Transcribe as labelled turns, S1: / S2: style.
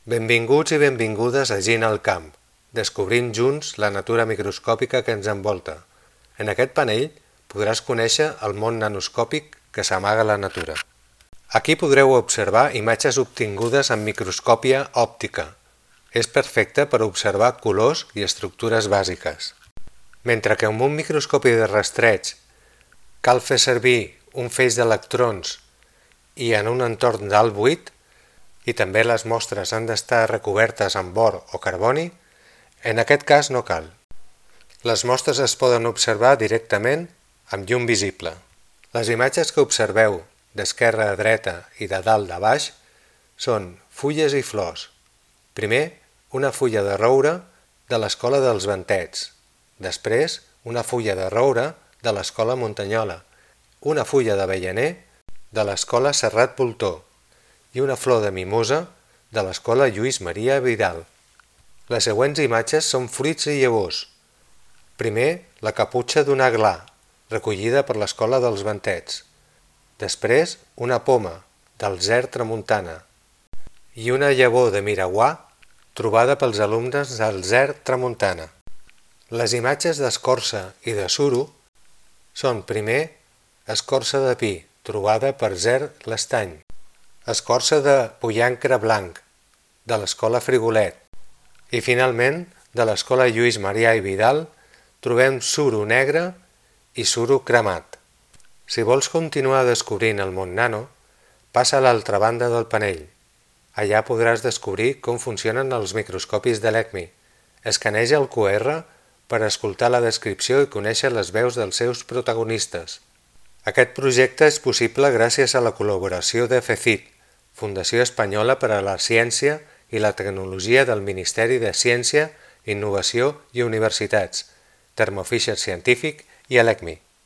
S1: Benvinguts i benvingudes a Gina al camp, descobrint junts la natura microscòpica que ens envolta. En aquest panell podràs conèixer el món nanoscòpic que s'amaga a la natura. Aquí podreu observar imatges obtingudes amb microscòpia òptica. És perfecte per observar colors i estructures bàsiques. Mentre que amb un microscopi de rastreig cal fer servir un feix d'electrons i en un entorn d'alt buit, i també les mostres han d'estar recobertes amb or o carboni, en aquest cas no cal. Les mostres es poden observar directament amb llum visible. Les imatges que observeu d'esquerra a dreta i de dalt a baix són fulles i flors. Primer, una fulla de roure de l'escola dels Ventets. Després, una fulla de roure de l'escola Muntanyola. Una fulla d'avellaner de l'escola Serrat Voltor i una flor de mimosa de l'escola Lluís Maria Vidal. Les següents imatges són fruits i llavors. Primer, la caputxa d'un aglà, recollida per l'escola dels Ventets. Després, una poma, del Zer Tramuntana. I una llavor de miraguà, trobada pels alumnes del Zer Tramuntana. Les imatges d'escorça i de suro són primer, escorça de pi, trobada per Zer l'Estany. Escorça de pollancre blanc, de l'escola Frigolet. I finalment, de l'escola Lluís Maria i Vidal, trobem suro negre i suro cremat. Si vols continuar descobrint el món nano, passa a l'altra banda del panell. Allà podràs descobrir com funcionen els microscopis de l'ECMI. Escaneja el QR per escoltar la descripció i conèixer les veus dels seus protagonistes. Aquest projecte és possible gràcies a la col·laboració de FECIT, Fundació Espanyola per a la Ciència i la Tecnologia del Ministeri de Ciència, Innovació i Universitats, Thermo Fisher Scientific i l'ECMI.